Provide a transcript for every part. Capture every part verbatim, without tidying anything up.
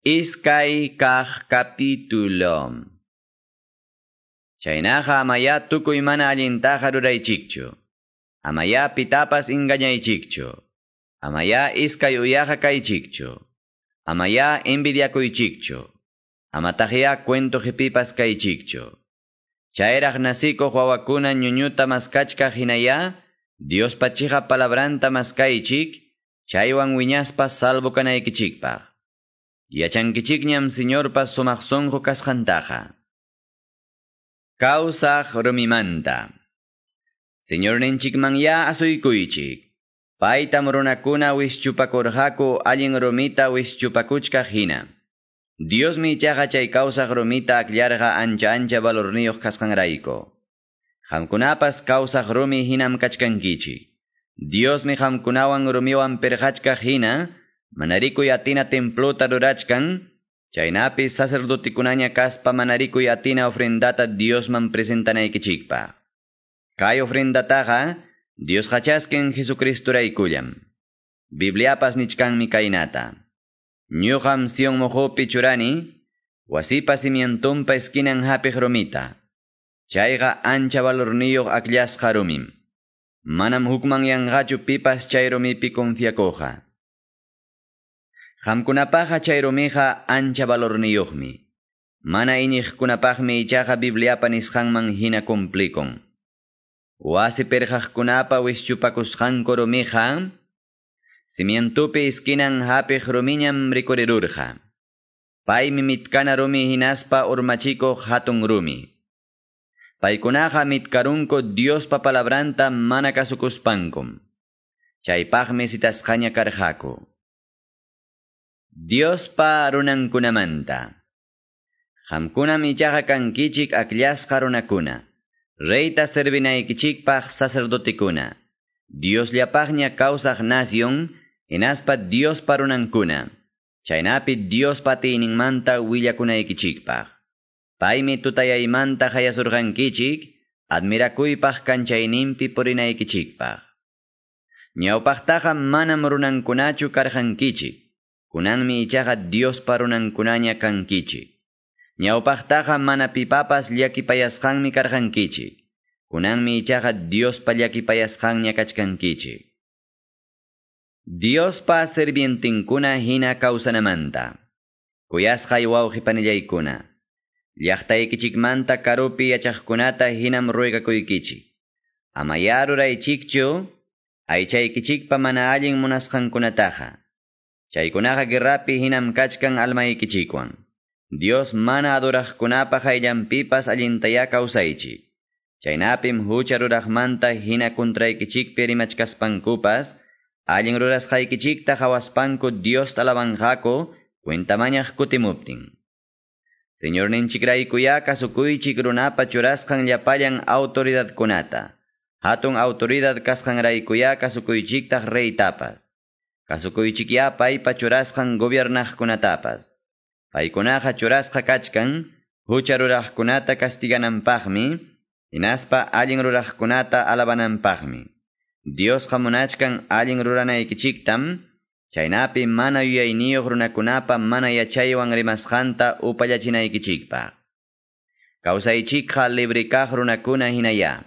Iskay kaq capítulo. Chaynaqa amaya tukuy mana allintaqa ruraychikchu. Amaya pitapas engañaychikchu. Amaya iskay uyaqa kaychikchu. Amaya envidiakuychikchu. Amataqya cuento qipipas kaychikchu. Chayraq nasikuq wawakuna ñuñuta maskachkaq hinaya, Diospa chiqa palabranta maskaychik, chaywan wiñaspa salvo kanaykichikpaq. Yachankichikñam Señorpa sumaq sunqu kasqantaqa. Kawsaq rumimanta. Señorninchikmanya asuykuychik. Paytam runakuna wischupakurqaku allin rumita wischupakuchkaq hina. Diosmi ichaqa chay kawsaq rumita akllarqa ancha ancha valorniyuq kasqanrayku. Qamkunapas kawsaq rumi hinam kachkankichik. Diosmi qamkunawan rumiwan pirqachkaq hina, manarikuy atina templota rurachkan, chaynapi sacerdotikunaña kaspa manarikuy atina ofrendata Diosman presentanaykichikpaq. Kay ofrendataqa Diosqa chaskin Jesucristuraykullam. Bibliapas nichkanmi kaynata. Ñuqam Sion mojopi churani, wasipa cimientumpa esquinan hapiq rumita. Chayqa ancha valorniyuq akllasqa rumim. Manam hukmanyanqachu pipas chay rumipi confiakuqqa. Qamkunapaqa chay rumiqa ancha valorniyuqmi. Mana iñiqkunapaqmi ichaqa Bibliapa nisqanman hina cumplikun. Wasi pirqaqkunapa wischupakusqanku rumiqa, cimientupi esquinan hapiq rumiñam rikurirurqa. Paymi mitkana rumi hinaspa urmachikuq hatun rumi. Paykunaqa mitkarunku Diospa palabranta mana kasukuspankum. Chaypaqmi citasqaña karqaku. Diospa runankunamanta. Qamkunam ichaqa kankichik akllasqa runakuna. Reyta servinaykichikpaq sacerdotikuna. Diosllapaqña kawsaq nación, hinaspa Diospa runankuna. Chaynapi Diospa atiyninmanta willakunaykichikpaq. Paymi tutayaymanta hayasurqankichik, admirakuypaq kanchayninpi purinaykichikpaq. Ñawpaqtaqa manam runankunachu karqankichik. Kunanmi ichaqa Diospa runankunaña kankichik. Ñawpaqtaqa mana pipapas llakipayasqanmi karqankichik. Kunanmi ichaqa Diospa llakipayasqanña kachkankichik. Diospa sirvientinkuna hina kawsanamanta. Kuyasqay wawqi panillaykuna. Llaqtaykichikmanta karupi yachaqkunata hinam ruegakuykichik. Amaya ruraychikchu, aychaykichikpa mana allin munasqankunataqa. Chaykunaqa guerrapi hinam kachkan almaykichikwan. Dios mana adoraqkunapa hayllanpipas allintaya kawsaychik. Chaynapim hucha ruraqmanta hina kuntraykichikpi rimachkaspankupas, allin rurasqaykichikta hawaspanku Dios alabanqaku cuentamañaq kutimuptin. Señorninchikraykuya kasukuychik runapa churasqan llapallan autoridadkunata. Hatun autoridad kasqanraykuya kasukuychiktaq reytapas. Kasukuychikya paypa churasqan gobiernaqkunatapas. Paykunaqa churasqa kachkan, hucha ruraqkunata castigananpaqmi, hinaspa allin ruraqkunata alabananpaqmi. Diosqa munachkan allin ruranaykichiktam, chaynapi mana yuyayniyuq runakunapa mana yachaywan rimasqanta upallachinaykichikpaq. Kawsaychikqa libre kaq runakuna hinaya.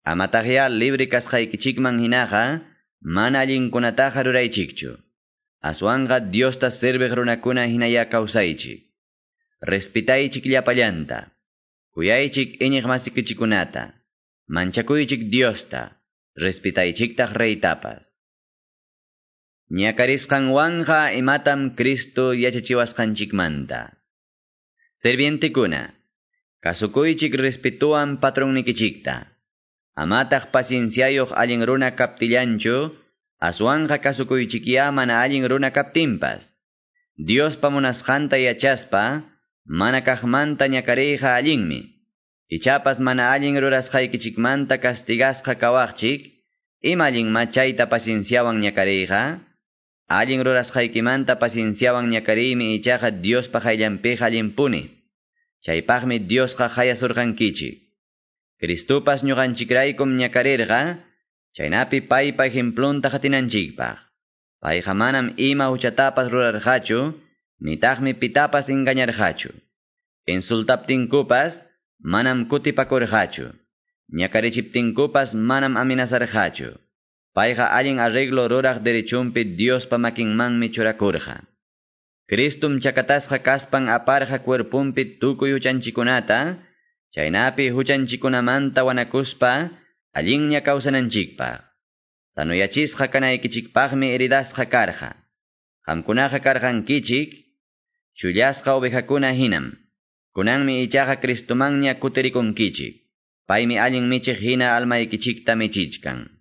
Amataqya libre kasqaykichikman hinaqa, mana allinkunataqa ruraychikchu. Aswanqa Diosta serviq runakuna hinaya kawsaychik. Respetaychik llapallanta. Kuyaychik iñiq masikichikunata. Manchakuychik Diosta. Respetaychiktaq reytapas. Ñakarisqanwanqa imatam Cristo yachachiwasqanchikmanta. Servientekuna, kasukuychik respetuwan patronnikichikta. Amataq pacienciayuq allin runa kaptillanchu, aswanqa kasukuychikya mana allin runa kaptinpas. Diospa munasqanta yachaspa, mana kaqmanta ñakariyqa allinmi. Ichapas mana allin rurasqaykichikmanta castigasqa kawaqchik, ima allinma chayta pacienciawan ñakariyqa? Allin rurasqaykimanta pacienciawan ñakariymi ichaqa Diospa hayllanpiqa allinpuni. Chaypaqmi Diosqa hayasurqankichik. Cristopas ñuqanchikraykum ñakarirqa, chaynapi paypa ejemplunta qatinanchikpaq. Payqa manam ima huchatapas rurarqachu, Nitaqmi pitapas engañarqachu. Insultaptinkupas manam kutipakurqachu. Ñakarichiptinkupas manam amenazarqachu. Payqa allin arreglo ruraq derechunpi Diospa makinmanmi churakurqa. Cristum chakatasqa kaspan aparqa cuerpunpi tukuy huchanchikunata, chaynapi huchanchikunamanta wanakuspa allinña kawsananchikpaq. Sanuyachisqa kanaykichikpaqmi heridasqa karqa. Qamkunaqa karqankichik, chullasqa ovejakuna hinam. Kunanmi ichaqa Cristumanña kutirikunkichik. Paymi allin michiq hina almaykichikta michichkan.